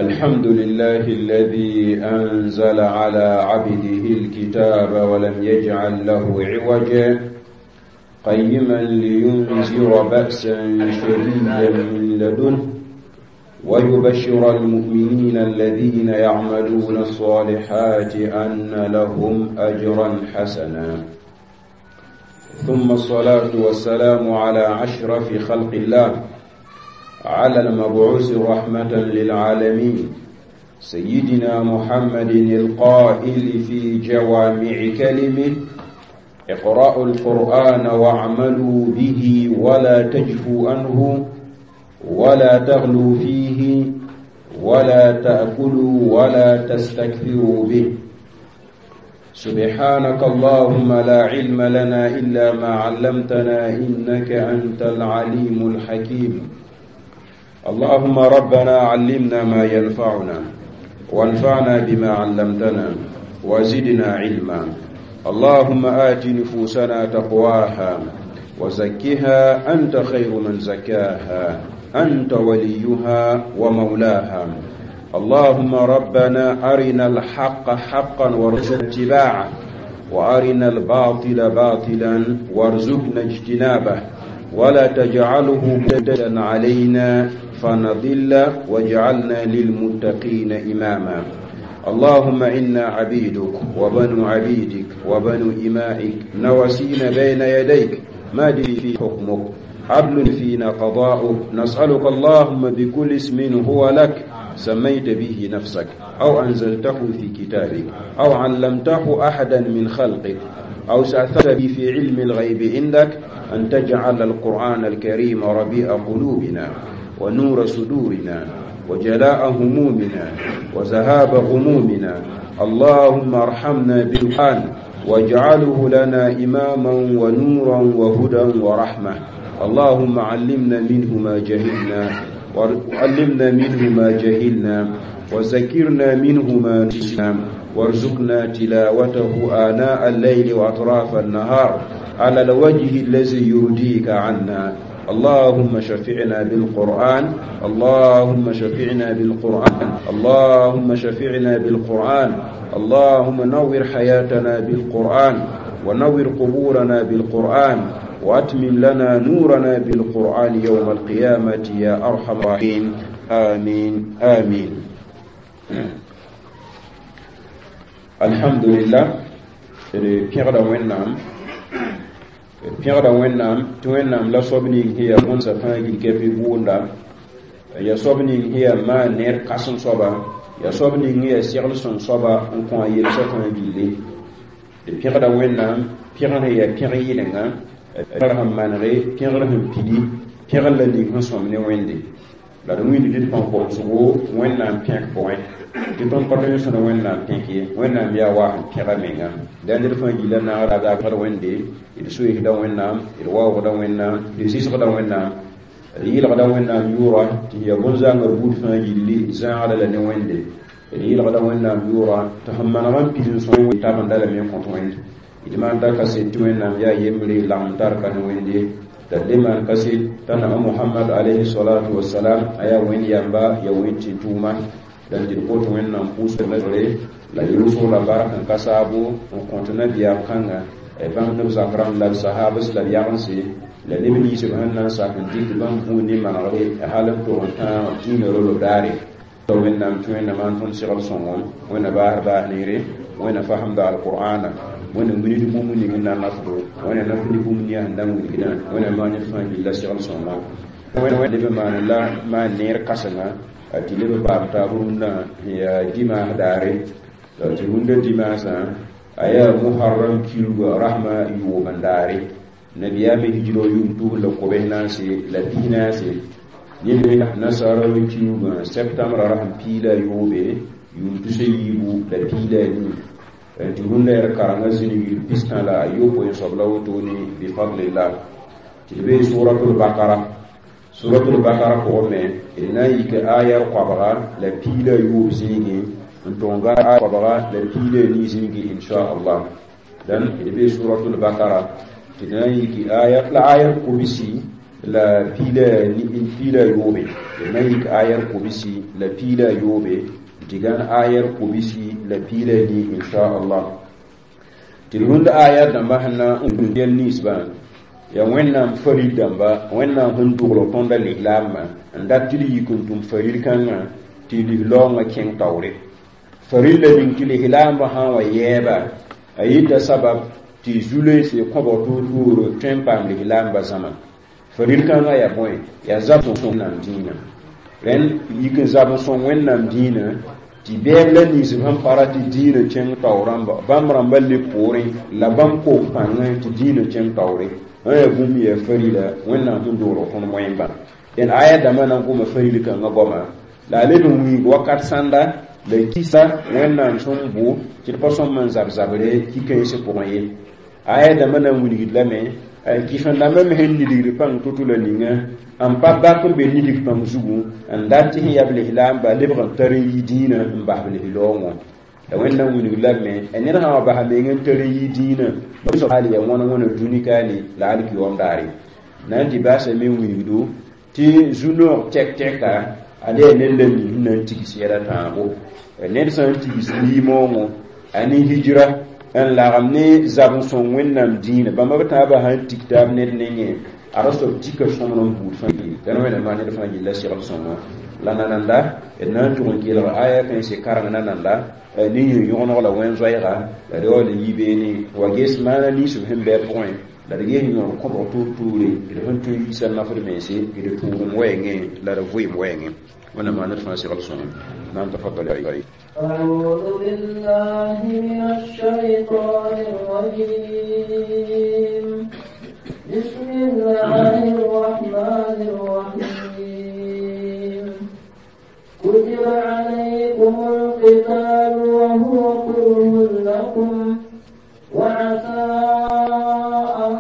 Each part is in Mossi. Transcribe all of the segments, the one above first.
الحمد لله الذي أنزل على عبده الكتاب ولم يجعل له عوجا، قيما لينذر بأسا شديدا من لدنه ويبشر المؤمنين الذين يعملون الصالحات أن لهم أجرا حسنا. ثم الصلاة والسلام على أشرف خلق الله، على المبعوث رحمة للعالمين، سيدنا محمد القائل في جوامع كلمه: اقرأوا القرآن واعملوا به ولا تجفوا عنه ولا تغلوا فيه ولا تأكلوا ولا تستكثروا به. سبحانك اللهم لا علم لنا إلا ما علمتنا إنك أنت العليم الحكيم. اللهم ربنا علمنا ما ينفعنا وانفعنا بما علمتنا وزدنا علما. اللهم آت نفوسنا تقواها وزكها أنت خير من زكاها، أنت وليها ومولاها. اللهم ربنا أرنا الحق حقا وارزقنا اتباعه، وأرنا الباطل باطلا وارزقنا اجتنابه، ولا تجعله ملتبسا علينا فنضل، واجعلنا للمتقين إماما. اللهم إنا عبيدك وبنو عبيدك وبنو إمائك، نواسينا بين يديك، ماض فينا حكمك، عدل فينا قضاؤك. نسألك اللهم بكل اسم هو لك سميت به نفسك، أو أنزلته في كتابك، أو علمته أحدا من خلقك، أو استأثرت به في علم الغيب عندك، أن تجعل القرآن الكريم ربيع قلوبنا ونور صدورنا وجلاء همومنا وذهاب غمومنا. اللهم ارحمنا بالقرآن واجعله لنا إماما ونورا وهدى ورحمة. اللهم علمنا منه ما جهلنا، وعلمنا منه ما جهلنا، وذكرنا منه ما نسينا، وارزقنا تلاوته آناء الليل وأطراف النهار على الوجه الذي يرضيك عنا. اللهم شفعنا بالقرآن، اللهم شفعنا بالقرآن، اللهم شفعنا بالقرآن. اللهم نور حياتنا بالقرآن، ونور قبورنا بالقرآن، وأتمم لنا نورنا بالقرآن يوم القيامة يا أرحم الراحمين. آمين آمين. الحمد لله. Pẽgda Wẽnnaam, pẽgda Wẽnnaam tɩ Wẽnnaam la soab ning sẽn yaa bõnsã fãa gil kɛpɩ bʋʋnda, ya soab ning sẽn yaa maan neer kãsem soaba, ya soab ning sẽn yaa segl sõng soaba n kõ a yelsã fãa gilli. D pẽgda Wẽnnaam, pẽgr sẽn yaa pẽg yɩlenga, pẽgr sẽn manege, pẽgr sẽn pidi, pẽgr la ning sẽn sõm ne Wẽnde. La d wĩnd tɩ d põn komsgo Wẽnnaam pẽk pʋgẽ, tɩ tõnd pa tõe n sõna Wẽnnaam pẽk ye. Wẽnnaam yaa wa sẽn pẽga menga. La ned fãa gilla naagda pẽgd Wẽnde, d soeesda Wẽnnaam, d waoogda Wẽnnaam, d zɩsgda Wẽnnaam, d yɩlgda Wẽnnaam yʋʋra tɩ yaa bõn-zãngã buud fãa gilli zãagda la ne Wẽnde. D yɩlgda Wẽnnaam yʋʋra tɩ sẽn maneg n pid n sõe tabenda lame n kõt Wẽnd. D maan da kaset tɩ Wẽnnaam yaa yembre lagem tar ka ne Wẽnde. T'a le maan kaset t'a na Mohamad alayhi salatu wasalam a yaa Wẽnd yamba, yaa Wẽnd tɩ-tʋʋma. Dãn tɩ d kot Wẽnnaam pʋʋsg la yʋlsg la bark n ka saabo n kõt nabiyaam kãnga, bãmb neb zak rãmb la b sahabs la b yagense la neb ninsb sẽn na n sak n dɩk bãmb bũud ne manegre hal n tog n tãag dĩinã rolo daare. Wẽnnaam tɩ Wẽnnaam maan tõnd segl sõngom, Wẽnna baas baas neere, Wẽnna fasemda alqur'ana, Wẽnna wilgd bũmb ning n na nafdo, Wẽnna naf ne bũmb nia sẽn da n wilgdã, Wẽnna maan ned fãa gilla segl sõngo. Wẽnna leb n maan la maan neer kãsenga tɩ leb n paam taab rũndã sẽn yaa dimaas daare. Tɩ rũndã dimaasã a yaa Muharram kilga rasmã yʋʋm n daare. Nabiyaamã hijrã yʋʋm tus la kobs naase la pis naase. Ned nasara kiugã septembra rasem piig la a yoobe yʋʋm tus a yiibu la piig la a nii. Tɩ rũndã yaa karengã zĩnig pistã la a yopoe n soab la wotone bifadlillah. Tɩ d bee suratul Bakara. Suratul Bakara pʋgẽ me d na n yik ayar koabga la piig la a yoob zĩigẽ n tʋg n gã koabga la piig la a nii zĩigẽ, inchallah. Dãn d bee suratul Bakara tɩ d na n yik aya la ayar kobsi La piila yoobe d na n yik ayar kobsi la piila yoobe tɩ gãn ayar kobsi la piila ni inchallah. Tɩ d rũnd ayar dãmba sẽn na n yɛl ninsbã yaa Wẽnnaam farid dãmba, Wẽnnaam sẽn dogl tõnda lislaambã n dat tɩ d yik n tʋm farid kãngã tɩ lislaoongã kẽng taoore. Farid la ning tɩ lislaambã sã n wa yɛɛba a yita sabab tɩ zu-loeese kõbg toor-toor tõe n paam lislaambã zãma. Farid kãngã yaa bõe? Yaa zab Wẽnnaam dĩinã. Rẽnd yik n zab n sõng Wẽnnaam dĩinã tɩ bɛɛb la ninsb sẽn pa ra tɩ dĩinã kẽng tao rãmba bãmb rãmbã le poorẽ la bãmb koog pãngẽ tɩ dĩinã kẽng taoore. N yaa bũmb yaa farila Wẽnnaam sẽn dogl tõnd moẽmbã. Dẽn aya dãmbã na n goma faril kãngã goama la a leb n wĩig wakat sãnda la kisa Wẽnnaam sẽn bʋ tɩ d pa sõm n zab zabre ki-kãensã pʋgẽ ye. Aya dãmbã na n wilgd lame kɩsem-dãmbã me sẽn nidgd pãng to-to la ninga n pa bak n be nidg pãng zugu n dat tɩ sẽn yaa b lislaamba lebg n tar n yi dĩinã n bas b lislaoongõ. La Wẽnnaam wilgd lame ned sã n wa basa meng n tar n yi dĩinã hal yaa wãna wãna dũni kaane la alkiyoom daare. Na n tɩ baasa me wilgdo tɩ zu-noog tɛk-tɛka ad yaa ned la ning sẽn na n tigs yɛla tãabo. Ned sã n tigs liimoongõ a ne hijra n lagem ne zab n sõng Wẽnnaam dĩinã bãmba b tãabã sãn tik taab ned nengẽ a ra soab tika sõmd n buud fãa tɩ Wẽnnaam maa ned fãa yella segl sõngo la nananda d na n tʋg n kelg aya kãense kareng nananda ne yẽ yõgeneg la wẽn-zoɛɛga la d yaool n yi beene wa ges maana ninsb sẽn bɩ a pʋgẽ la d ges yõor kõbg toor-toore d sẽn tõe n yiisa nafd mense d tʋʋgem wɛɛngẽ la d vɩɩm wɛɛngẽ. Wẽnnaam maa ned fãa segl sõngo. Naam, tafaddal. أعوذ بالله من الشيطان الرجيم. بسم الله الرحمن الرحيم. كتب عليكم القتال وهو كره لكم وعسى أن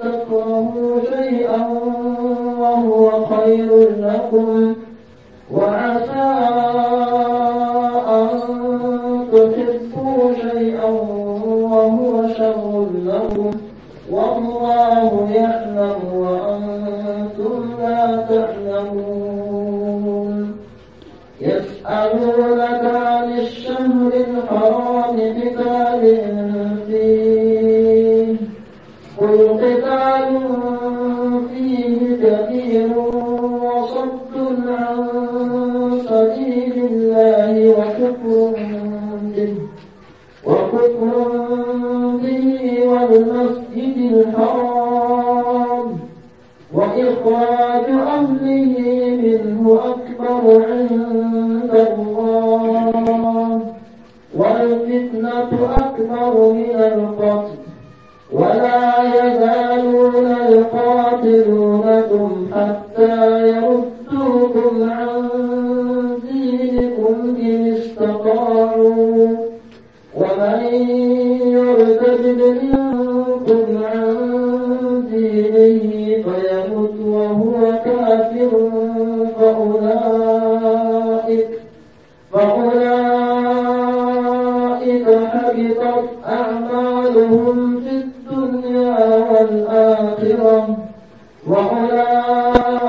تكرهوا شيئا وهو خير لكم وعسى أن تحبوا شيئا وهو شر لكم والله يعلم وأنتم لا تعلمون. يسألونك عن الشهر الحرام قتال فيه قل قتال فيه كبير وصد عن سبيل الله وكفر به والمسجد الحرام وإخراج أهله منه أكبر عند الله والفتنة أكبر من القتل ولا يزالون يقاتلونكم حتى يردوكم عن دينكم إن استطاعوا ومن يرتد منكم عن دينه فيمت وهو كافر فأولئك حبطت أعمالهم في الدنيا والآخرة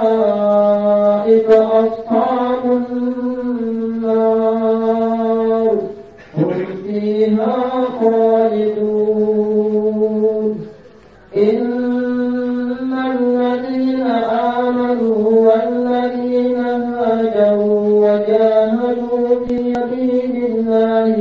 وأولئك أصحاب النار هم فيها خالدون. إن الذين آمنوا والذين هاجروا وجاهدوا في سبيل الله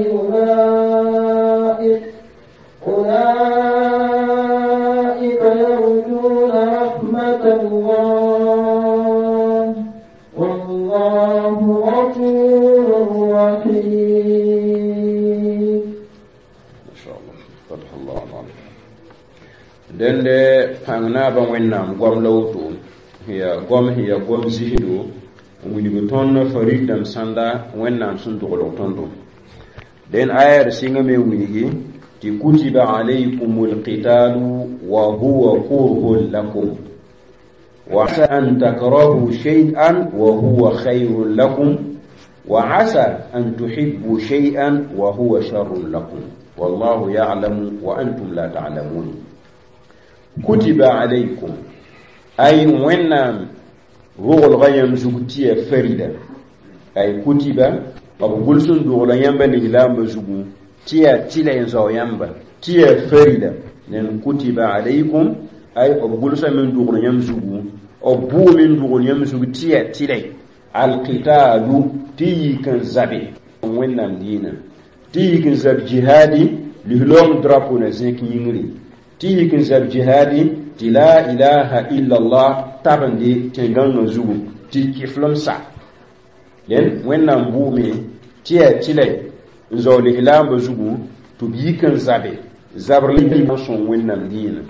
أولئك يرجون رحمة الله والله غفور رحيم. ما شاء الله فتح الله عليك. Dẽnde pãng naabã Wẽnnaam goam la woto ya goam sẽn yaa goam zisdo n wilg tõnd farid dãmb sãnda Wẽnnaam sẽn doglg tõndo. Dẽn aya d sɩngame wilgi tɩ kutiba alaykum alqitalu wa huwa kurhun lakum wa asa an takrahu shay'an wa huwa khayrun lakum wa asa an tuhibbu shay'an wa huwa sharrun lakum wallahu ya'lamu wa antum la ta'lamun. Kutiba alaykum Ay Wẽnnaam roglga yãmb zug tɩ yaa farida. Ay kutiba, b gʋls n dogla yãmba lislaambã zugu tɩ yaa tɩla n zao yãmba tɩ yaa farida. Nen kutiba alaykum, ay b gʋlsame n dogl yãmb zugu, b bʋʋme n dogl yãmb zugu tɩ yaa tɩla alqitalu, tɩ yik n zabe Wẽnnaam diinã, tɩ yik n zab jihaadi lislaoong drapo na zẽk yĩngri, tɩ yik n zab jihaadi tɩ la ilaha illallah tabende tẽn-gãngã zugu tɩ kɩflem sa. Dẽn Wẽnnaam bʋʋme tɩ yaa tɩla n zao lislaambã zugu tɩ b yik n zabe zabr n sõng Wẽnnaam diinã,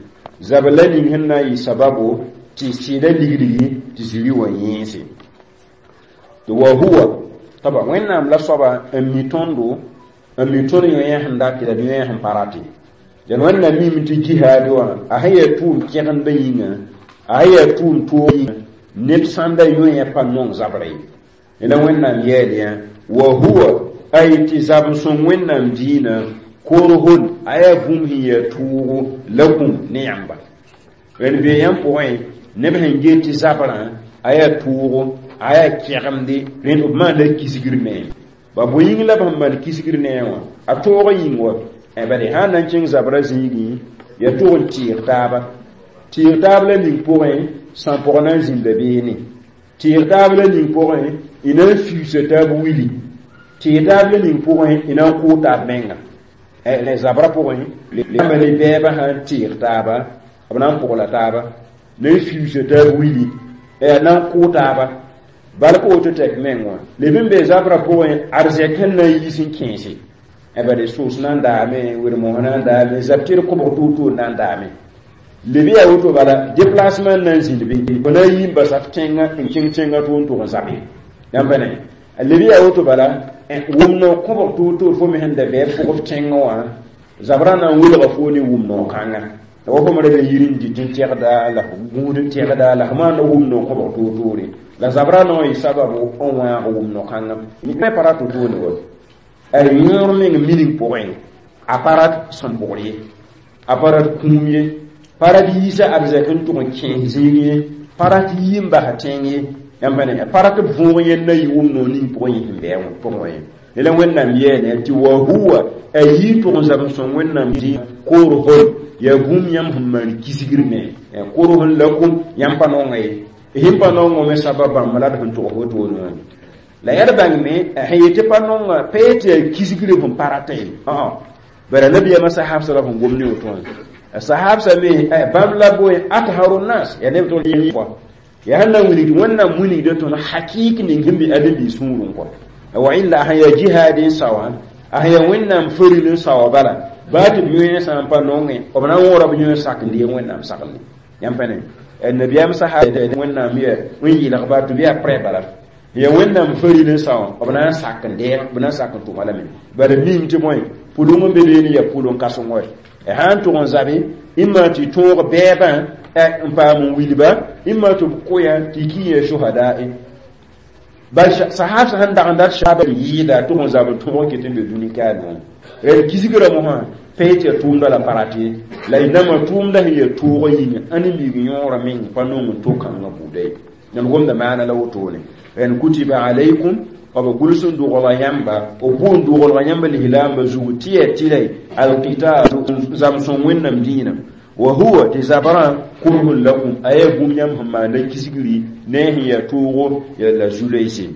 zabr la ning sẽn na n yɩ sababo tɩ sɩda ligdgi tɩ ziri wã yẽese. Tɩ wa huwa taba Wẽnnaam la soaba n mi tõndo, n mi tõnd yõ sẽn dat la d yõ sẽn pa rate. Dẽn Wẽnnaam mime tɩ jihaad wã a sẽn yaa tʋʋm kẽgendã yĩnga, a sẽn yaa tʋʋm toog yĩnga, neb sãnda yõ pa nong zabra ye. La Wẽnnaam yɛɛl yã wa huwa, ay tɩ zab n sõng Wẽnnaam diinã korhon, a yaa bũmb sẽn yaa tʋʋgo lakum ne yãmba. Rẽnd bee yãmb pʋgẽ neb sẽn get tɩ zabrã a yaa tʋʋgo, a yaa kẽgemde, rẽnd b maanda kisgr ne. Ba bõe yĩng la b sẽn maan kisgr ne wã? A toog yĩng wa bade sã n na n kẽng zabrã zĩigẽ yaa tʋg n tɩɩg taaba, tɩɩg taab la ning pʋgẽ sãn-pʋg na n zĩnda beene, tɩɩg taab la ning pʋgẽ y na n fiusa taab wili, tɩɩg taab la ning pʋgẽ y na n kʋʋ taab menga. Rẽ zabrã pʋgẽ yãmba ne bɛɛbã sã n tɩɩg taaba, b na n pʋgla taaba, na n fiusa taab wili, na n kʋʋ taaba bala pa woto tɛk meng wã. Leb n be zabrã pʋgẽ arzɛk sẽn na n yiis n kẽese, bade soos na n daame, wed-mos na n daame, zab tɩr kobg toor-toor na n daame. Leb yaa woto bala déplacement na n zĩnd be, fo na n yi n basa f tẽngã n kẽng tẽngã tʋ n tʋg n zabe. Yãmb ne leb yaa woto bala wʋm no kobg toor-toor fo me sẽn da bɩ pʋg f tẽngã wã, zabrã na n welga fo ne wʋm no-kãnga. La wa fo me ra be yir n dɩt n tɛgda, la f gũud n tɛgda, la f maanda wʋm no kobg toor-toore. La zabrã na n yɩ sababu n wãag wʋm no-kãnga. Me pa rat wotone wa. A yõor meng mining pʋgẽ, a pa rat sẽn pʋgr ye, a pa rat kũum ye, pa rat yiisa arzɛk n tʋg n kẽes zĩig ye, pa rat yi n bas tẽng ye, yãmb ne pa rat b võog yẽnd na yɩ wʋm noor ning pʋgẽ yẽ sẽn bɩ pʋgẽ wã ye. La Wẽnnaam yeele tɩ wa huwa, a yii tʋg n zab n sõng Wẽnnaam dĩ korhon, yaa bũmb yãmb sẽn maan kisgr me korhon lakum, yãmb pa nonga ye, sẽn pa nongo me sabab bãmb la d sẽn tʋgs wotone wã. La yaa d bãngme a sẽn yetɩ pa nonga pa yetɩ yaa kisgr sẽn pa rata ye. Bara nabiyaamã sahabsã la sẽn gom ne woto wã. Sahabsã me bãmb la boe atharu nas, yaa neb tʋg yẽ yaa sẽn na n wilgd Wẽnnaam wilgda tõnd hakɩɩk ning sẽn be ãdem-biis sũurẽ kɔ. Wa illa sẽn yaa jihaad n saoã, a sẽn yaa Wẽnnaam faril n saoa bala, baa tɩ b yõe sã n pa nongẽ, b na n wõra b yõe sak n deeg Wẽnnaam saglẽ. Yãmb pa ne nabiyaam sahab Wẽnnaam yaa n yɩlgba tɩ b yaa prɛ bala, yaa Wẽnnaam faril n saoã, b na n sak n deeg, b na n sak n tʋma lame. Bala mim tɩ bõe pʋlʋng n be beene yaa pʋlʋng kãseng wa. Sã n tʋg n zabe, ĩmma tɩ tõog bɛɛbã n paam n wilba, ĩmma tɩ b kʋya tɩ ki yaa shuhada. Bal sahab sẽn dag n dat shaba yɩɩda tʋg n zab n tõog n ket n be dũni kaal wã. Rẽnd kisgrã mosã pa yetɩ yaa tʋʋmda la pa rat ye, la y nambã tʋʋmda sẽn yaa toogã yĩnga, ãdem-biig yõorã meng pa nong n to-kãngã buuda ye. Yãmb gomda maana la wotone. Rẽnd kutiba alaykum, b gʋls n dogla yãmba, b bʋ n doglga yãmba lislaambã zugu tɩ yaa tɩla alqital zam sõng Wẽnnaam dĩinã. Wa huwa tɩ zabrã kurhun lakum, a yaa bũmb yãmb sẽn maanda kisgri ne sẽn yaa toogo la zu-loeese.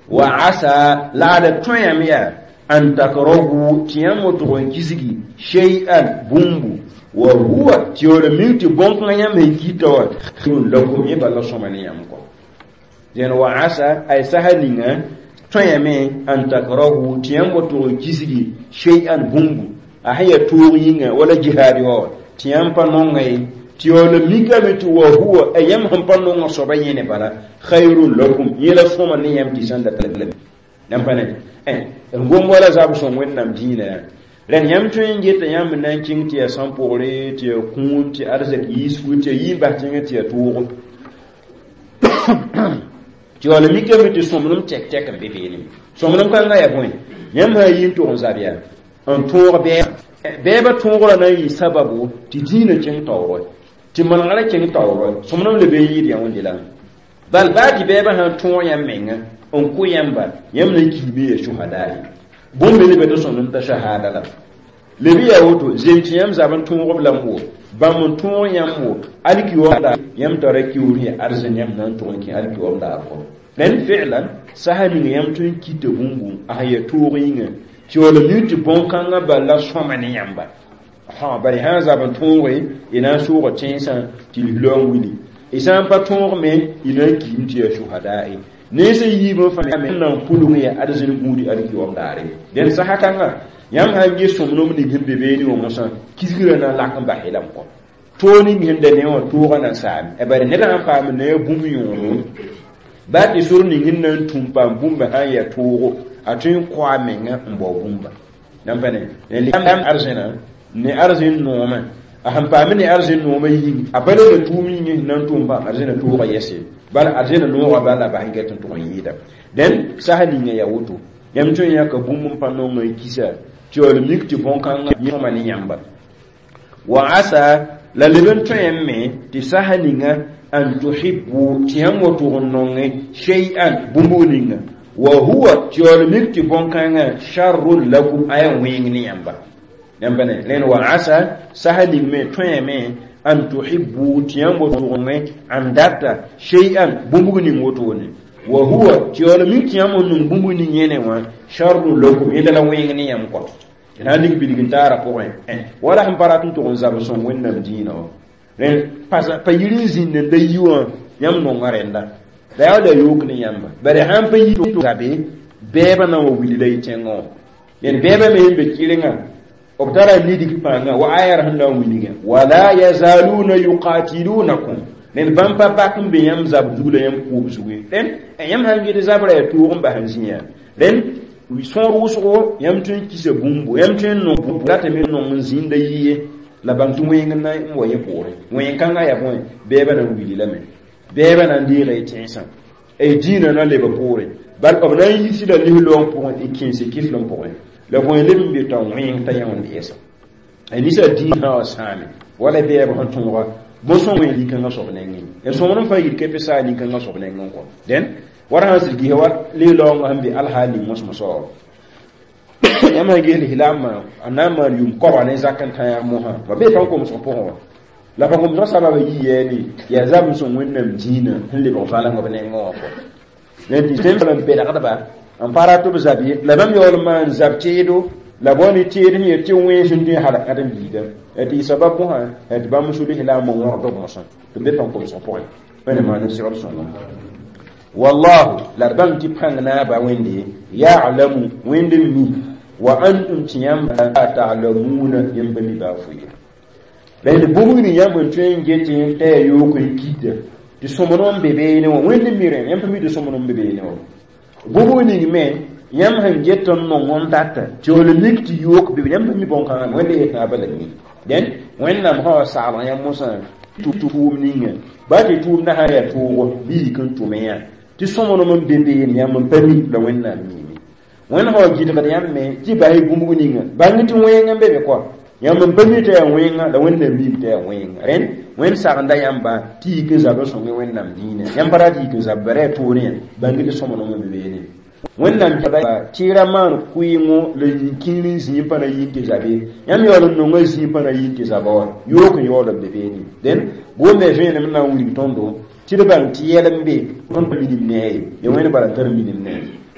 Wa asa la ad tõe yãmb yaa an takrahu, tɩ yãmb tʋg n kisgi shay'an bũmbu, wa huwa tɩ yaool mik tɩ bõn-kãngã yãmb sẽn kɩta wã khayrun lakum, yẽ bala sõma ne yãmb kɔ. Dẽn wa asa ay sasa ninga tõe yame an takrahu, tɩ yãmb tʋg n kisgi shay'an bũmbu, a sẽn yaa toog yĩnga wala jihaad wã tɩ yãmb pa nonga ye, tɩ yaool mikame tɩ wa huwa a yãmb sẽn pa nonga soaba yẽne bala khayrun lakum, yẽ la sõma ne yãmb tɩ sãn da tala yãmb pa ne n gom wala zab sõng Wẽnnaam dĩinã yaa. Rẽnd yãmb tõe n geta yãmb na n kẽng tɩ yaa sãn-pʋgre, tɩ yaa kũum, tɩ arzɛk yiisfu, tɩ yaa yii n bas tẽngã, tɩ yaa toogo, tɩ yaool mikame tɩ sõmblem tɛk-tɛk n be beene. Sõmblem kãngã yaa bõe? Yãmb sã n yi n tʋg n zab yaa n tõog bɛɛba, bɛɛbã tõogrã na n yɩ sababu tɩ dĩinã kẽng taoore. Tɩ manegrã kẽng taoor sõmblem leb n yɩɩd yã wẽnde la bal baa tɩ bɛɛbã sãn tõog yãmb menga n kʋ yãmba yãmb na n kiime ya shuhada ye bũmb me leba tɩ sõmblem t'a shahada la leb yaa woto zem tɩ yãmb zab n tõog b lame wo bãmb n tõog yãmb wo alkiyoomda yãmb tara kiuur ya arzẽn yãmb na n tʋg n kẽ alkiyoom daar kɔ rẽnd fɛɛlan sasa ning yãmb tõe n kita bũmbu a sẽn ya toog yĩnga tɩ yaool mi tɩ bõn-kãngã bal la sõma ne yãmba bari sã n zab n tõoge y na n sʋʋga tẽnsã tɩ lislaoong wili y sã n pa tõog me y na n kiim tɩ yaa shuhada ye nensã yiibã fãa me na n pʋlg ya arzẽn gũudi alkiyoom daare dẽnd sasa kãnga yãmb sãn ges sõmblem ning sẽn be beene wã mosã kisgrã na n lak n bas lame kɔ toog ning sẽn da ne wã toogã na n saame bare ned sãn paam ne a bũmb yõodo baa tɩ sor ning sẽn na n tũm paam bũmba sãn yaa toogo a tõe n kõ a menga n bao bũmba yãmb pa ne arzẽna ne arzẽn noomã a sẽn paam ne arzẽn noomã yĩng a pa lebla tʋʋm yĩng sẽn na n tʋm paam arzẽna toogã yɛse bala arzẽna noogã bala la bas n get n tʋg n yɩɩda dẽn sasa ninga yaa woto yãmb tõe n yãka bũmb n pa nong n kisa tɩ yaool mik tɩ bõn-kãngã sõma ne yãmba wa asa la leb n tõe me tɩ sasa ninga an tuhibbu tɩ yãmb wa tʋg n nonge shay'an bũmb ninga wa huwa tɩ yaool mik tɩ bõn-kãngã sharrun lakum a yaa wẽng ne yãmba yãmb ne rẽnd wa asa sasa ning me tõe me an tuhibbu tɩ yãmb wa tʋg n n data shay'an bũmb ning wotone wa huwa tɩ yaool mik tɩ yãmb n nong bũmb ning yẽne wã sharrun lakum yẽnda la wẽng ne yãmb kɔ na ning bilg n taara pʋgẽ wala sẽn pa rat n tʋg n zab sõng wẽnnaam dĩinã wã rẽnd pa yir n zĩnd n da yi wã yãmb nonga rẽnda la yaa la yook ne yãmba bare sãn pa yi zabe bɛɛbã na n wa wilda y tẽngã wã yẽn bɛɛbã me sẽn be kɩrengã b tara nidg pãnga wa ayar sẽn na n wilgã wala yazaluna yuqatilunakum rẽnd bãmb pa bak n be yãmb zab zug la yãmb kʋʋb zuge rẽnd yãmb sãn gɩd zabrã yaa toog n bas n zĩ rẽnd sõor wʋsgo yãmb tõe n kisa bũmbu yãmb tõe n nong ratame nong n zĩnda yɩ ye la bãng tɩ wẽng n na n wa yẽ poorẽ wẽng-kãngã yaa bõe bɛɛbã na n wili lame bɛɛbã na n deega y tẽnsã y dĩinã na leba poorẽ bal b na n yisda lislaoong pʋgẽ y kẽense kiflem pʋgẽ la bõe leb n be t'a wẽng t'a yã wẽnd yɛsa ninsã dĩinã wã sãame wala bɛɛb sẽn tõoga bõn-sõng wẽ nin-kãngã soab nengẽ y sõmd n fãa yit kepe saa nin-kãngã soab nengẽ kɔ dẽn wara sãn sɩd gisa wa lislaoongã sẽn be alhaal ning mosmosã wã yãmb sãn ges lislaambã a na n maan yʋʋm koabga ne zak n tã mosã ba bee pãn-komsg pʋgẽ wã la pãn-komsgã sababã yɩ yɛɛne yaa zab n sõng wẽnnaam dĩinã sẽn lebg vãleng b nengẽ wã kɔ tɩ n belgdba n pa rat b zab ye la bãmb yaool n maan zab teedo la bao ne teed sẽn yaa tɩ wẽns n tõe halg karen-biiga tɩ y sabab mosã tɩ bãmb sʋ lislaambã wõgd b mosã tɩ be pãn-komsg pʋgẽ wẽnna maan d segd sõngo wallahu la d bãng tɩ pãng naaba wẽnde ya'lamu wẽnd n mi wa antum tɩ yãmb la ta'lamuna yãmb pa mi baa fo ye rẽnd bũmb ning yãmb n tõe n get t'a yaa yook n kita tɩ sõmd n be beene wã wẽnd n mi rẽ yãmb pa mi tɩ sõmd n be beene wã bũmb ning me yãmb sẽn get n nong n data tɩ yaool mik tɩ yook be yãmb pa mi bõn-kãngã wẽnd yet naaba la mi dẽn wẽnnaam sã wa saglg yãmb mosã tʋʋm ninga baa tɩ tʋʋmdã sã yaa toogo bɩ yik n tʋme yã tɩ sõmblem n be beene yãmb n pa mi la wẽnnaam miime wẽnd sã wa gɩdgd yãmb me tɩ bas bũmb ninga bãng tɩ wẽng n be be kɔ yãmb n pa mi t'a yaa wẽnga la wẽnnaam miime t'a yaa wẽnga rẽnd wẽnd sagenda yãmba tɩ yik n zab n sõnge wẽnnaam dĩinã yãmb pa rat yik n zab bara yaa toore yã bãng tɩ sõmblem n be beene wẽnnaam tɩ ra maan kʋɩɩngo la yĩn-kĩir n zĩig pa na yĩn tɩ zabe yãmb yaool n nonga zĩig pa na yĩn tɩ zaba wã yook n yaool n be beene dẽn gomda vẽenem na n wilg tõndo tɩ d bãng tɩ yɛl n be tõnd pa minim ne a ye ya wẽnd bala n tar minim ne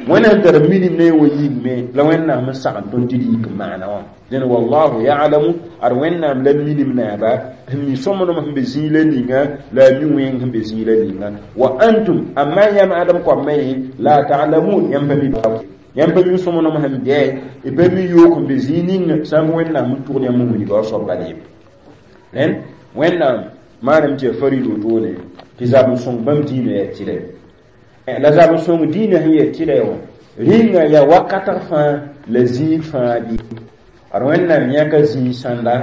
wẽnd sẽn tar minim ne wa yĩngme la wẽnnaam n sagn tõnd tɩ d yik n maana wã dẽn wallahu ya'lamu ad wẽnnaam la minim naaba sẽn mi sõmblem sẽn be zĩig la ninga la a mi wẽng sẽn be zĩig la ninga wa antum amma yãmb ãdem koamã ye la ta'lamun yãmb pa mi yãmb pa mi sõmblem sẽn bɛ y pa mi yook n be zĩig ninga sã n wẽnnaam n tʋgd yãmb n wilga wa soab bala ye rẽnd wẽnnaam maanam tɩ yaa farid wotone tɩ zab n sõng bãmb dĩinã yaa tɩlɛ la zab n sõng dĩinã sẽn yaa tɩlɛ wã rĩnga yaa wakatg fãa la zĩig fãa bɩ ad wẽnnaam yãka zĩig sãnda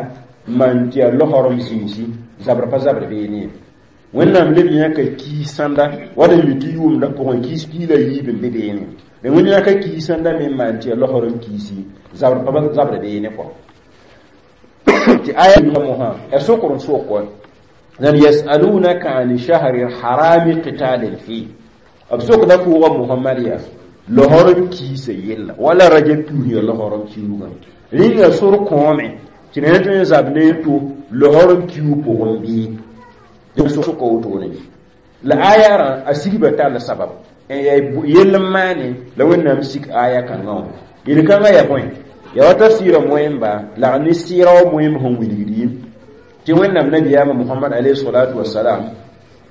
n maan tɩ yaa losrem zĩisi zabr pa zabr beene ye wẽnnaam leb yãka kiis sãnda wala mi tɩ yʋʋmdã pʋgẽ kiis piig la yiib n be beene la wẽnd yãka kiis sãnda me n maan tɩ yaa losrem kiisi zabr pa zabr beene kɔ tɩ aya mosã ya sokr n sok wa Nan yasalunaka an shahri harami qitalin fi b sokda pʋʋga Mohamad yaa lohorem kiisa yella wala Rajab kius ya lohorem kiugã rĩnga sor kõome tɩ ne tõe n zab ne to lohorem kiug pʋgẽ bɩ soka wotone la ayarã a sigba tall sabab n yaa yell n maane la Wẽnnaam sik aya kãngã wã yel-kãngã yaa bõe ya wa tafsɩɩrã moẽmba la ne sɩɩra wã moẽmb sẽn wilgd tɩ Wẽnnaam nabiyaamã Mohamad alayhi salatu wasalam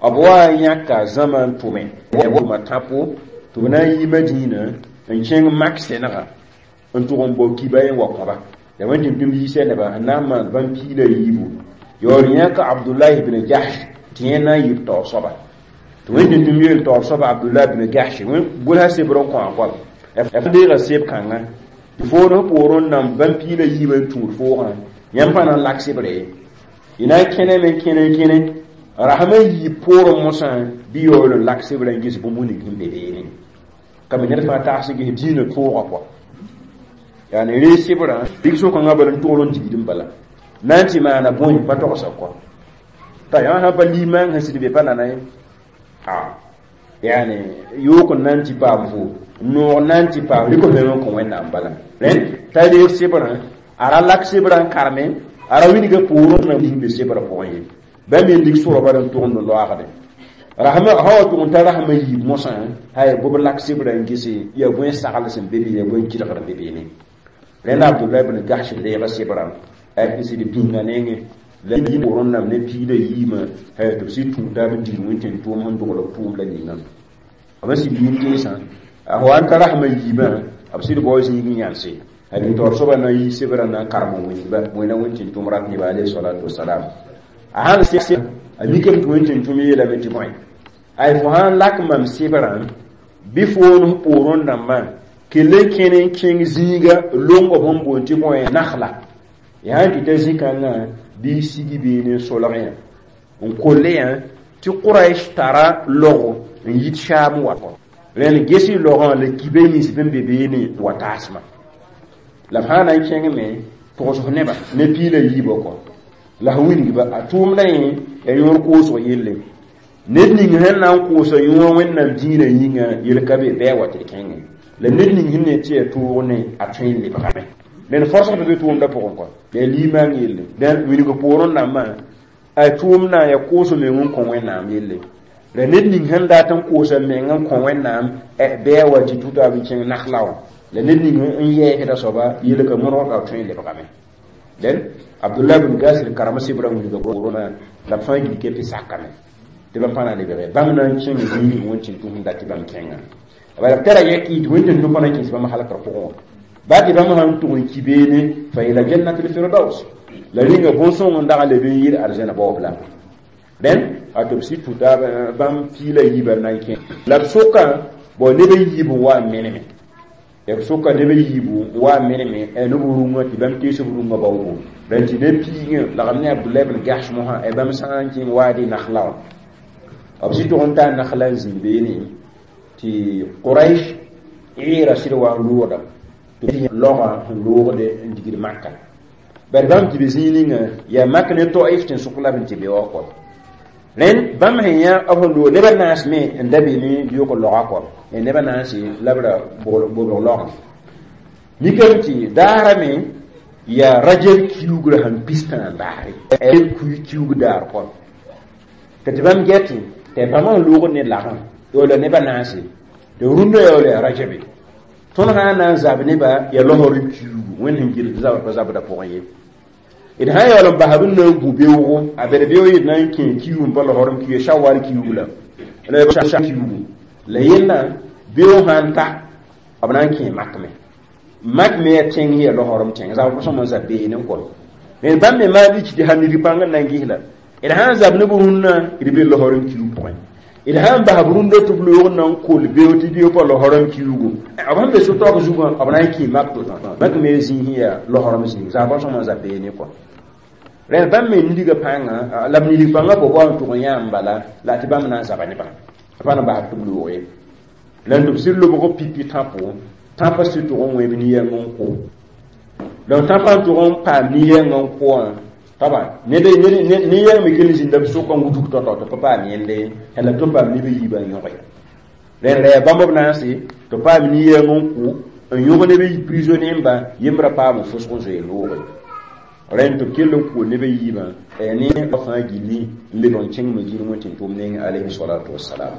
b wa n yãka zãma n tʋme tʋma tãpo tɩ b na n yi Madina n kẽng Mak sẽnega n tʋg n bao kiba n wa kõba ya wẽn tɩ tʋm yiisa neba n na n maan bãmb piig la yiibu yaool yãka Abdullahi ibn Jahsh tɩ yẽ na n yɩ b taoor soaba tɩ wẽn tɩ tʋm yeel taoor soaba Abdullahi ibn Jahsh gʋlsa sebr n kõ a goam f deega seb kãngã tɩ foor f poorẽ n nan bãmb piig la yiibã n tũud foogã yãmb pa na n lak sebre ye y na n kẽneme n kẽne n kẽne rasmã yiib poorẽ mosã bɩ yaool n lak sebrã n ges bũmb ning sẽn be beene ka me ned fãa tags n ges dĩinã tõogã pʋa yaani ree sebrã rig sokãngã bala n togl n digd n bala na n tɩ maana bõe pa togsa kɔ t'a yã sã pa limaang sẽn sɩd be pa nana ye a yaani yook n na n tɩ paam fo noog na n tɩ paam rɩk f meng n kõ Wẽnnaam bala rẽnd t'a reeg sebrã a ra lak sebrã n karme a ra wilga poorẽ na ning be sebrã pʋgẽ ye bãmb me lig sʋra bala n tʋgend n loaagde rasma sã wa tʋg n tar rasmã yiib mosã hay bʋb lak sebrã n gese yaa bõe sagl sẽn be be yaa bõe kɩdgr n be beene rẽnd Abdullah ibn Gahsh reega sebrã n sɩd bĩnga nengẽ la yɩ poorẽ nam ne piig la yiimã tɩ b sɩd tũud taab n dig wẽn-tẽn-tʋʋm sẽn dogl b tʋʋm la ninga b sẽn sɩd yĩn teesã a wa n ta rasmã yiibã b sɩd bao zĩig n yãnse a bɩ taoor soabã na n yi sebrã na n karem n wĩnba wẽna wẽn-tẽn-tʋʋm rat neba alayhi salatu wasalam a sãn a mikame tɩ wẽn-tẽn-tʋʋm yeelame tɩ bõe ay fo sãn lak mam sebrã bɩ foon f poorẽ dãmbã kell n kẽne n kẽng zĩiga longo b sẽn boond tɩ bõe nakhla yaa n tɩ ta zĩ-kãngã bɩ sigi beene n solg yã n kolle yã tɩ Quraish tara logo n yit Shaam wa rẽnd gesi logã la kibe nins bẽn be beene wa taasmã la b sã na n kẽngme togsg nebã ne piig la yiibã kɔ la f wilgba a tʋʋmdã yẽ ya yõor koosg yelle ned ning sẽn na n koosa yõor Wẽnnaam dĩinã yĩnga yel ka be bɩ a wa tɩ d kẽngẽ la ned ning sẽn ne tɩ ya tʋʋg ne a tõe n lebgame ned fɔrsg tɩ be tʋʋmdã pʋgẽ kɔ yaa limaang yelle dẽn wilg poorẽ dãmbã a tʋʋmdã ya koos meng n kõ Wẽnnaam yelle la ned ning sẽn dat n koosa meng n kõ Wẽnnaam bɩ a wa tɩ tʋtaab n kẽng nakhla wã la ned ning n yɛɛsda soaba yelka mõrg a tõe n lebgame dẽn Abdullah bin Gasir karem sebrã wilga poorẽ la b fãa gil kepi sakame tɩ bãmb pa na lebge bãmb na n kẽng zĩig wẽn-tẽn-tʋ sẽn dat tɩ bãmb kẽngã bala b tara yɛk tɩ wẽn-tẽn-tʋ pa na n kẽes bãmb halkr pʋgẽ wã baa tɩ bãmb sãn tʋg n ki beene fa ila jannatil firdaus la rĩnga bõn-sõng n dag leb n yɩl arzẽna baoob la rẽnd a tɩ b sɩd tʋta bãmb piig la yiibã na n kẽ la b sʋka bao neb n yiib n wa n meneme ya b sʋka neb n yiibu n wa n meneme neb rũngã tɩ bãmb tees b rũngã baoogo rẽnd tɩ ne piigẽ lagm ne Abdullah ibn Gahsh mosã bãmb sã n kẽng waade nakhla wã b sɩd tʋg n taa nakhla n zĩnd beene tɩ Quraish ɛɛra sɩd wa n loogdame tɩ logã sẽn loogde n digd Maka bari bãmb tɩ be zĩig ninga yaa Mak ne Taif tẽn-sʋk la b n tɩ be wa kɔ rẽnd bãmb sẽn yã b sẽn loog nebã naas me n da be ne yʋk logã kɔ nebã naase la b ra bobg logã mikame tɩ daarame yaa Rajab kiugrã sẽn pistã n daare kiug daar kɔ tɩ bãmb gɛtɩ tɩ bãmb sẽn loogd ne lagã wala nebã naase tɩ rũndã yaa wala yaa Rajabe tõnd sã n na n zab nebã yaa losr n kiugu Wẽnd sẽn gɩl zabr pa zabdã pʋgẽ ye d sã n yaool n basb n na n gu beoogo a bed beoog yet na n kẽ kiug n pa losr n kiuga Shawal kiugu la kiugu la yellã beoog sã n ta b na n kẽ Mak me Mak me yaa tẽng yaa losrem tẽng zabr pa sõm n zab beene n kɔ me bãmb me maan rɩk tɩ sã nid pãng n na n ges la d sã n zab neb rũnnã d be losrem kiug pʋgẽ d sã n bas b rũndã tɩ b loog n na n kol beoog tɩ beoog pa losrem kiugu b sẽn be so-taoog zugã b na n kẽ Mak to Mak me zĩig sẽn yaa losrem zĩig zabr sõm n zab beene kɔ rẽnd bãmb me nidgã pãnga la b nidg pãngã pa wa n tʋg n yã n bala la tɩ bãmb na n zaba nebã pa na n bas tɩ b loog ye la n tɩ b sɩd lobg pipi tãpo tãpã sɩd tʋg n wẽb ni-yɛng n kʋ donc tãpã n tʋg n paam ni-yɛng n kʋ wã Taba ne de ne ne yɛng me kell zĩnda b sʋka n wudg tao-tao tɩ pa paam yẽnde la tɩ paam neb a yiibã n yõge rẽnd la yaa bãmb b naase tɩ paam nin-yɛng n kʋ n yõg neb n prisonnier ba yembra paam n fʋsg n zoe loogre rẽnd tɩ b kell n kʋ neb a yiibã ne fãa gilli n lebg n kẽng Madina wẽn tɩ tʋm neng alayhi salatu wassalam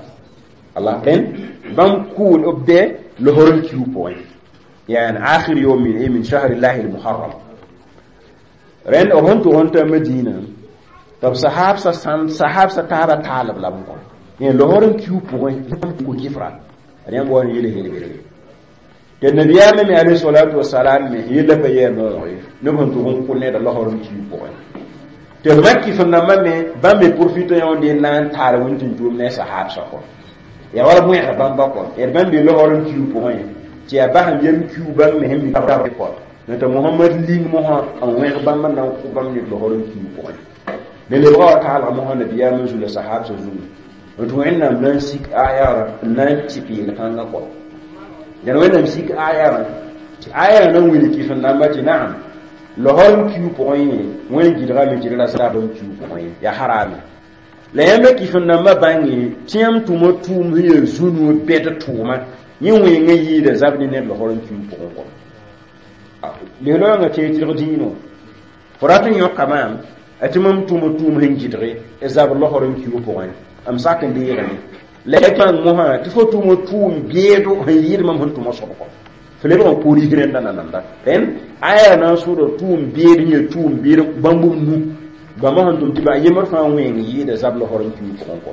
Allah rẽnd bãmb kʋʋl b bɛ losr n kiu pʋgẽ yani akhir yawm min shahri llahi al-muharram rẽnd b sẽn tʋg n ta Madina tɩ b sahabsã sãn sahabsã taaba taalb la b kõ losr n kiu pʋgẽ kʋ kifra ad yãmb wa n yele helberge tɩ nabiyaamã me alayhi salatu wasalam me yella pa yɛɛ noog ye neb sẽn tʋg n kʋ neda losr n kiu pʋgẽ tɩ b makif nambã me bãmb me profita yõnde n na n taal wẽn tɩ tʋʋm ne sahabsã kɔ yaa wala wẽgr bãmba kɔ d bãmb be losr n kiu pʋgẽ tɩ yaa basem yem kiu bãmb me sẽn mi kɔ tɩ Mohamad ling mosã n wẽg bãmb n na n kʋ bãmb ned losr n kiu pʋgẽ ne lebga wa taalg mosã nabiyaamã zu la sahabsã zungu tɩ Wẽnnaam na n sik ayarã n na n tɩ peel-kãngã kɔ dẽn Wẽnnaam sik ayarã tɩ ayarã na n wilg kɩf n namba tɩ naam losr n kiu pʋgẽ yẽ wẽn gɩdgame tɩ d ra zabr n kiu pʋgẽ ye yaa harame la yãmba kɩf n nambã bãnge tɩ yãmb tʋma tʋʋm sẽn yaa zu-noor bɛd tʋʋma yẽ wẽngã yɩɩda zab ne ned losr n kiu pʋgẽ kɔ lesloyãngã tẽeg tɩlg dĩinã fo rat n yõka maam tɩ mam tʋma tʋʋm sẽn gɩdge zabr losr n kiu pʋgẽ m sak n deegame la ya bãng mosã tɩ fo tʋma tʋʋm beedo sẽn yɩɩd mam sẽn tʋma soab kɔ fo lebg n koor yis rẽnda nananda rẽnd aya na n sʋʋda tʋʋm beed n yaa tʋʋm beed bãmb b nu bãmba sẽn tʋm tɩ ba yembr fãa wẽng yɩɩda zab losr n kiu pʋgẽ kɔ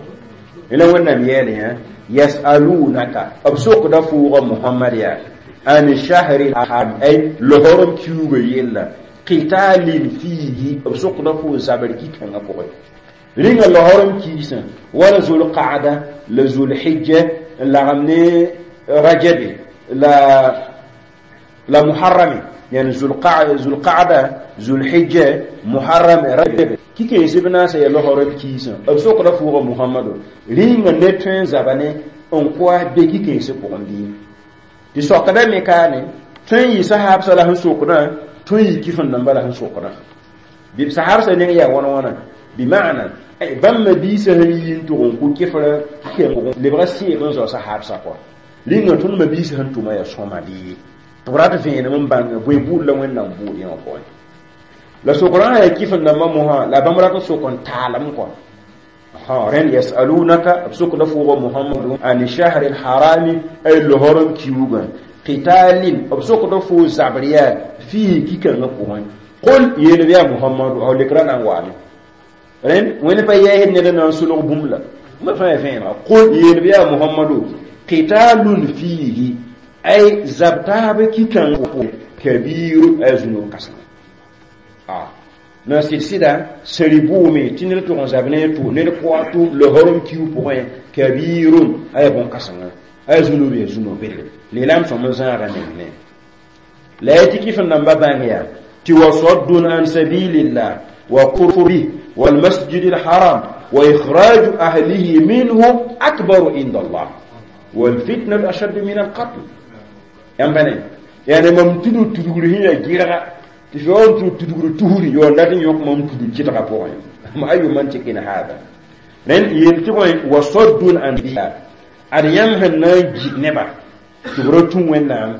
la Wẽnnaam yeele yã yasalunaka b sokda fʋʋga Mohamad yaa an shahri haram ay losr n kiuugã yella qitalin fihi b sokda fo zabr ki-kãngã pʋgẽ rĩnga losr n kiisã wala zulqaada la zulhijja n lagem ne rajabe la muharrame yani zulqaada zulhijja muharram rajab ki-kãens b naasã yaa losr n kiisã b sokda fʋʋga Mohamado rĩnga ned tõe n zaba ne n koa be ki-kãensã pʋgẽ bɩ tɩ sokda me kaane tõe n yɩ sahabsã la sẽn sokdã tõe n yɩ kɩf n namba la sẽn sokdã bɩ sahabsã neng yaa wãna wãna bima'na bãmb mabiisã sẽn yi n tʋg n kʋ kɩfrã lebga sɩɩg n zao sahabsã kɔ rĩnga tõnd mabiisã sẽn tʋma yaa sõma bɩ tɩ b rat vẽenem n bãng bõe buud la Wẽnnaam buud yẽ wã pʋgẽ la sokdã yaa kɩf n nambã mosã la bãmb rat n sok n taalem kɔ rẽnd yasalunaka b sokda fʋʋga Mohamadu an shahri lharami ay losr n kiuugã qitalin b sokda fo zabr yaa fihi ki-kãngã pʋgẽ qul yeel yaa Mohamadu a lekra na n waame rẽnd wẽnd pa yɛɛsd ned n na n solg bũmb la ma fãa vẽenega qul yeel yaa Mohamadu qitalun fihi ay zab taab ki-kãngã kabiru ay zũnug kãsem na sɩd-sɩda sari bʋʋme tɩ ned tʋg n zab ne tʋ ned koa tʋ losr n kiu pʋgẽ kabirun aya bõn-kãsenga aya zũnub yaa zũnug bedre leelame sõm n zãaga neng ne la ya tɩ kɩf n namba bãng yaa tɩ wasaddun an sabilillah wa kufr bih والمسجد الحرام وإخراج أهله منه أكبر عند الله والفتنة أشد من القتل يعني mam tudu tudugr sẽn yaa gɩrga tɩ fo n tʋ tudugr tusri yo dat n yõk mam tudug kɩtga pʋgẽ ma ayu mantiqin hada rẽnd yeel tɩ bõe wasaddun an ad yãmb sẽn na n git neba tɩ b ra tũ Wẽnnaam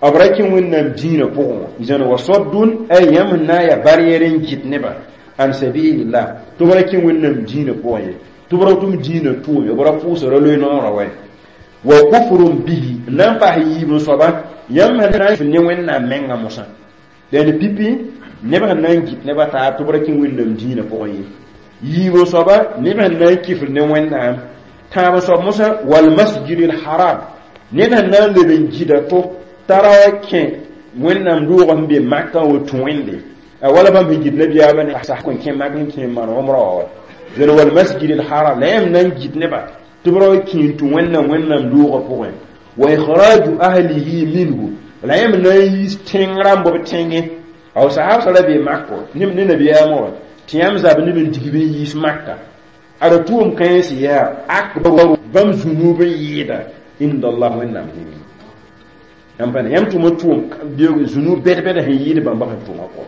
b ra kẽ Wẽnnaam dĩinã pʋgẽ wã zãn wasaddun ay yãmb sẽn na n yaa barrière n git neba an sabilillah tɩ b ra kẽ Wẽnnaam dĩinã pʋgẽ ye tɩ b ra tʋm dĩinã tʋʋm b ra pʋʋsra loe noorã wɛ wa kufrun bihi n na n paas yiib n soaba yãmb sẽn na n ne Wẽnnaam menga mosã dẽnd pipi neb sẽn na n git nebã taab tɩ b ra kẽ Wẽnnaam dĩinã pʋgẽ ye yiib n soaba neb sẽn na n kifr ne Wẽnnaam tãab n soab mosã walmasjid lharam ned sẽn na n leb n gida to t'a ra wa kẽ Wẽnnaam doogã sẽn be Makã wa tũ Wẽnde wala bãmb sẽn git nabiyaamã ne sa kõ kẽ mak n kẽ maan omra wa wa zẽn walmasjid lharam la yãmb na n git neba tɩ b ra wa kẽ n tũ Wẽnnaam Wẽnnaam doogã pʋgẽ wa ikhraju ahlihi minhu la yãmb na n yiis tẽng rãmb b tẽngẽ aw sahabsã ra bee mak ne nabiyaamã wã tɩ yãmb zab neb n dig b n yiis Makka ada tʋʋm kãens yaa akbaru bãmb zũnub n yɩɩda inda Allah Wẽnnaam nengẽ yãmb pa yãmb tʋma tʋʋm zũnub bɛd-bɛd sẽn yɩɩd bãmba sẽn tʋma kɔ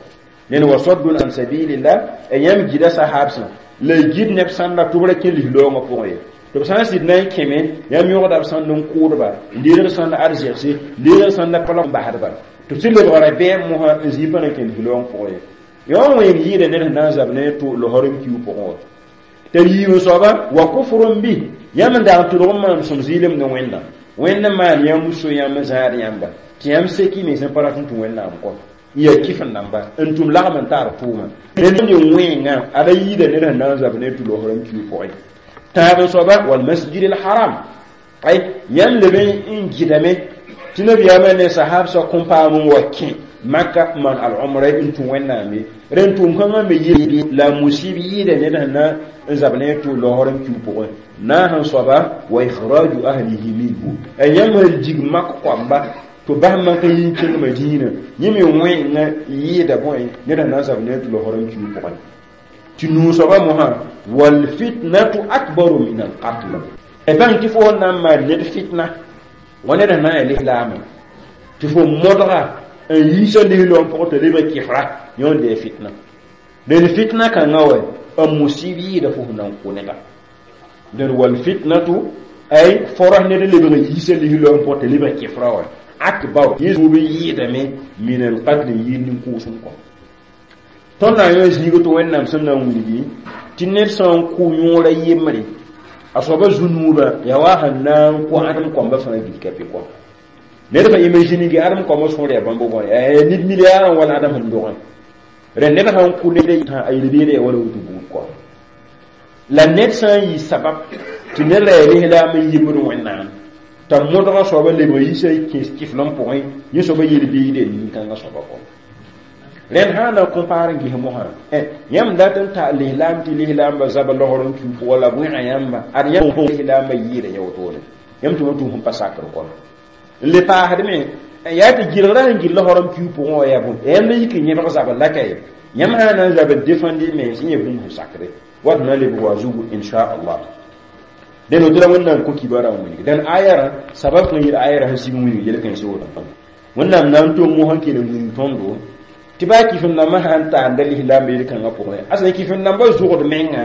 Nen wa saddun an sabilillah e yãmb gida sahabsã la y gid neb sãnda tɩ b ra kẽ lislaoongã pʋgẽ ye tɩ b sã n sɩd na n kẽme yãmb yõgda b sãnd n kʋʋdba n deedg sãnd arzɛgse n deedg sãnda pala n basdba tɩ b sɩ lebg rabeem mosã n zĩig pa na n kẽ lislaoong pʋgẽ ye yõ wẽng yɩɩda ned sẽn na n zab ne tʋ losr n kiu pʋgẽ wa tɩ b yiib n soaba wa kufrun bi yãmb n dag n tʋlg n maan sõm zɩɩlem ne wẽnna wẽnd n maan yãmb so yãmb n zãad yãmba tɩ yãmb seki mens n pa rat n tũ wẽnnaam kɔ n yaa kɩf n namba n tʋm lagm n tar tʋʋma ned wẽnga ada yɩɩda ned sẽn na n zab ne tʋ losr n kiu pʋgẽ tãab n soaba walmasjid alharam ay yãmb leb n gɩdame tɩ nabiyaamã ne sahabsã kõn paam n wa kẽ maka man al-umra n tũ wẽnnaam ye rẽn tʋʋm kãngã me yɩ la musib yɩɩda ned sẽn na n zab ne tʋ losr n kiu pʋgẽ naas n soaba wa ikhraju ahlihi minhu a yãmb sẽn dig mak koamba tɩ bas mak n yɩ n kẽng madiinã yẽ me wẽnga yɩɩda bõe ned sẽn na n zab ne tʋ losr n kiu pʋgẽ tɩ nuu soaba mosã walfitnatu akbaru min alqatl e bãng tɩ fo sẽn na n maan ned fitna wa ned sẽn na n yaa lislaamã tɩ fo modga n yiisa lislaoom pʋgẽ tɩ lebg kɩfra yõ n dee fitna dẽn fitna kãngã wa n musib yɩɩda fo sẽn na n kʋ neda dẽn walfitnatu ay forah ned n lebg n yiisa lislaoom pʋgẽ tɩ lebg kɩfra wa akbar yẽ zuub n yɩɩdame min alqatl n yɩɩd nin-kʋʋsem kɔ tõnd na n yõ zĩig tɩ wẽnnaam sẽn na n wilgi tɩ ned sã n kʋ yõora yembre a soaba zu-nuubã yaa wa sẽn na n kʋ ãdem koamba fãa gilka pɩ kɔ ned fa imagine ge ãdem koambã sõor yaa bãmb bõe ned milliard n wala ãdem sẽn dogẽ rẽ ned sã n kʋ ned a yel-beeda yaa wala woto buud kɔ la ned sã n yɩ sabab tɩ ned ra yaa lislaam n yembd wẽnnaam t'a modgã soaba lebg yiisa kẽes kɩflem pʋgẽ yẽ soaba yel-beeda nin-kãngã soaba kɔ rẽnd sã n na compare n ges mosã yãmb dat n ta lislaam tɩ lislaambã zaba losr n kiu pʋgã la bõega yãmba ad yãmb lislaambã yɩɩda yã wotone yãmb tɩ wã tʋm sẽn pa sakr kɔ n le paasdme yaa tɩ gɩlgrã sẽn gɩl losr n kiu pʋgẽ wã yaa bõe yãmb la yik n yẽbg zabr la ka ye yãmb sã n na n zab n defẽnd mens n yẽ bũmb sẽn sakre wat na lebg wa zugu inchallah dẽn woto la wẽnnaam kõ kibarã n wilg dẽn ayarã sabab kõn yɩl ayarã sẽn sig n wilg yel-kãensã woto wẽnnaam na n tʋm mosã n kell n wilg tõndo tɩ baa kɩf-n-dãmbã sã n taanda lislaambã yel-kãngã pʋgẽ a sẽn kɩf-n-dãmbã zʋgd menga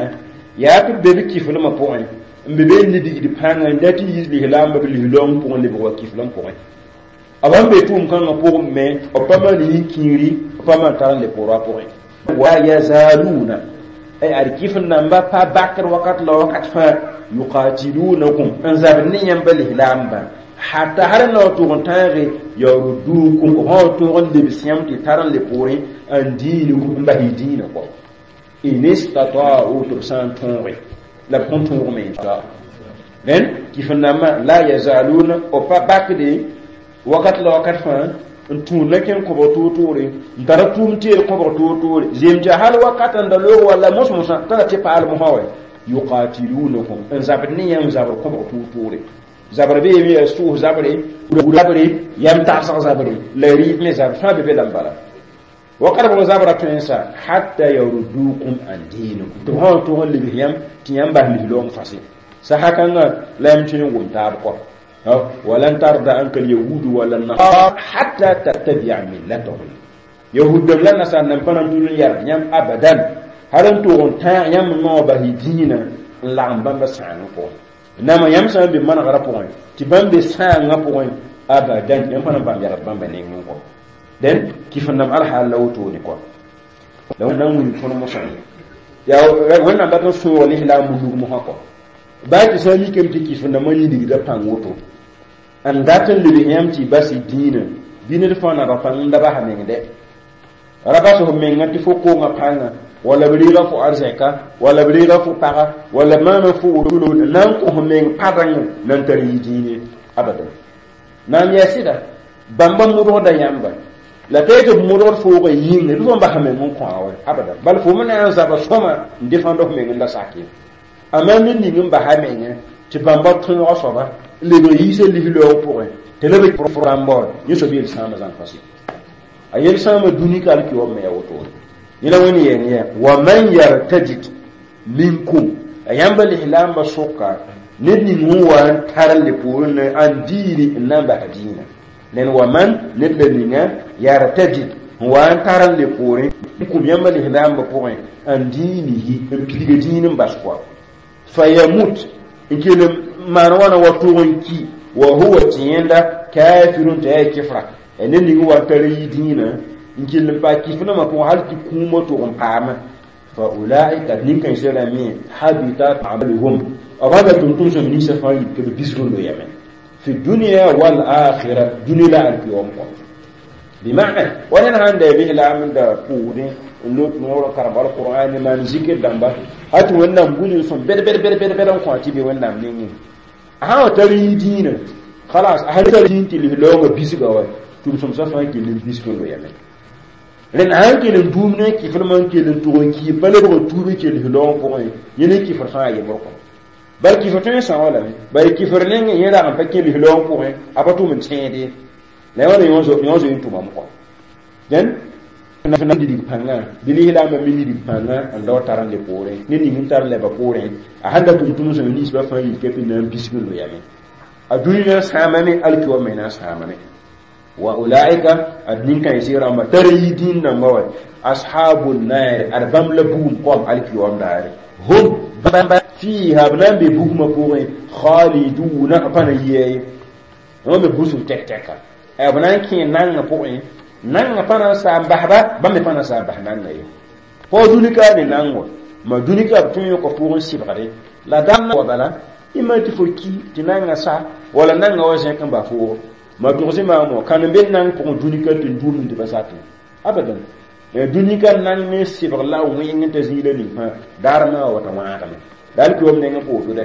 yaa tɩ b be b kɩflmã pʋgẽ n be be n libgd pãnga n dat n yiis lislaambã b lislaoong pʋgẽ lebg wa kɩflem pʋgẽ b sẽn be tʋʋm-kãngã pʋgẽ me b pa maan yĩn-kĩiri b pa maan tar n le pʋra pʋgẽ wa yazaluna ay ad kɩf-n-dãmbã pa bakr wakat la wakat fãa yuqatilunakum n zabd ne yãmba lislaambã hatta har na tʋg n tãage yaruddukum b sã tʋg n lebs yãmb tɩ tar n le poorẽ n diinikum n bas y dĩinã kɔ in istata'u tɩ b sã n tõoge la b kõn tõogme rẽnd kɩf-n-dãmbã la yazaluna b pa bakde wakat la wakat fãa n tũud na kẽn kõbg toor-toore n tara tʋʋm teed kõbg toor-toore zeem tɩ hal wakat n da loog walla mos-mosã tara tɩ paal mosã wa yuqatilunakum n zabd ne yãmb zabr kõbg toor-toore zabr be yeme yaa sʋʋs zabre zabre yam tagsg zabre la rɩɩd me zabr fãa be be la n bala wakat bg zabra tõensa hatta yaruddukum an dinikum tɩ b sã n tʋg n lebs yãmb tɩ yãmb bas lislaoong fase saha kãngã la yãmb tõe n wʋm taab kɔ walan tarda anka alyahudu wala nasara hatta tattabia millatahum yahud dãmb la nasar nam pa na n tʋl n yard yãmb abadan har n tʋg n tãag yãmb noog bas y dĩinã n lagem bãmba sãangã pʋgẽ nama yãmb sã n be manegrã pʋgẽ tɩ bãmb be sãangã pʋgẽ abadan yãmb pa na n bãmb yagd bãmba nengẽ kɔ dẽn kɩf-n-dãmb alhaal la wotone kɔ la na n wilg tõnd mosã yaa wẽnnaam dat n sõog lislaam mulug mosã kɔ baa tɩ sã n mikame tɩ kɩf-n-dãmbã yĩnigda pãng woto n dat n lebs yãmb tɩ y bas y dĩinã bɩ ned fãa nada pãng n da basa meng dɛ ra bas f menga tɩ fo koongã pãnga wala b reega fo arzɛka wala b reega fo paga wala maana fo wotolo na n kõ meng padãng na n tar yɩ dĩine abadan naam yaa sɩda bãmba modgda yãmba la pa tɩ b modgd foogã yĩnga bɩ fo n basa meng n kõ a wa abadan bal fo me na n zaba sõma n defãnd f meng n da sak ye amma ned ning n basa menga tɩ bãmba tõoga soaba n lebg yiisa lislaoog pʋgẽ tɩ la b rãmba wa yẽ soab yel-sãamã zãng fase a yel-sãamã dũni ka alkiwam me yaa wotone yẽla wẽnd yɛng yaa wa man yartadid minkum a yãmba lislaambã sʋka ned ning n wa n tar n le poorẽ ne an diini n na n basa dĩinã nen wa man ned la ninga yartadid n wa n tar n le poorẽ N kũm yãmba lislaambã pʋgẽ n dĩinihi n pilga dĩin n bas kɔa fayamut n kell n maan wãna wa tʋg n ki wa huwa tɩ yẽnda kafirun t'a yaa kɩfra ned ning wa n tar yi dĩinã n kell n paa kɩf-rãmbã pʋgẽ hal tɩ kũumã tʋg n paame fa ulaika nin-kãensã rãmbe habitat amaluhum b bãmba tʋm-tʋmsem ninsã fãa yit tɩ b bisg n loyame fi dunya wal akhira dũni la alkiyom kɔ bimana wa ned sãn da lislaam da pʋʋdẽ n lot noorã karem alqur'an maan zikr dãmba hal tɩ Wẽnnaam gũudg sõm bɛd bɛd bɛd bɛd bɛd n kõ tɩ be Wẽnnaam nengẽ a sã wa tar yɩ dĩinã khalas a sã tar dĩin tɩ lislaoongã bisga wa tʋm-sõmsã fãa kell n bisg n loyame rẽnd sã n kell n duum ne kɩfrmã n kell n tʋg n kii pa lebg n tuub n kell lislaoongã pʋgẽ yẽ ne kɩfr fãa yembr kɔ bal kɩfr tõe n são lame bala kɩfr nengẽ yẽ rag n pa kẽ lislaoongã pʋgẽ a pa tʋm n tẽede la yõ yõ zoe n tʋmame kɔ dẽn na dig pãngã bɩ lislaambã me nidg pãngã n dao tar n le poorẽ ne ning n tar lɛba poorẽ a sãn da tʋm tʋmsem ninsbã fãa yik tɩ na n bisg n loyame a dũniyã sãamame alkiwa me na n sãamame wa ulaika ad nin-kãensg rãmba tar n yi dĩin dãmba wa ashabu naare ad bãmb la bugum koam alkiwam daare hum bãmba fiiha b na n be bugmã pʋgẽ khaliduna pa na yia ye wã me busg tɛk-tɛka b na n kẽ nangã pʋgẽ nangã pa na n saam basba bãmb me pa na n saam bas nangã ye fo dũnika ne nang wa ma dũnika b tõe n yõka pʋgẽ sɩbgre la dãmb wa bala ima tɩ fo ki tɩ nangã sa wala nangã wa zẽk n ba foogo ma tʋgs maam wã kãn n be nang pʋgẽ dũnika tɩ n duumd tɩ pa sakẽ abadan dũnika nang ne sɩbg la wẽng t'a zĩig la ning fãa daar maa wa wata wãagame la alkiwam nengẽ pooto dɛ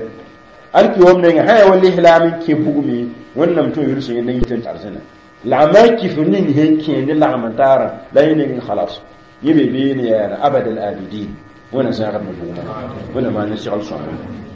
alkiwam nengẽ sã yaa wa lislaam n kẽ bugme Wẽnnaam tõe yʋls yẽnda yit n tar zĩna la a maa kɩfr ning sẽn kẽ ne lagm n taarã la yẽ nengẽ khalas yẽ be beene yaara abad al abidin. Wẽna zãagd me bugmã Wẽnna maan n segl sõma.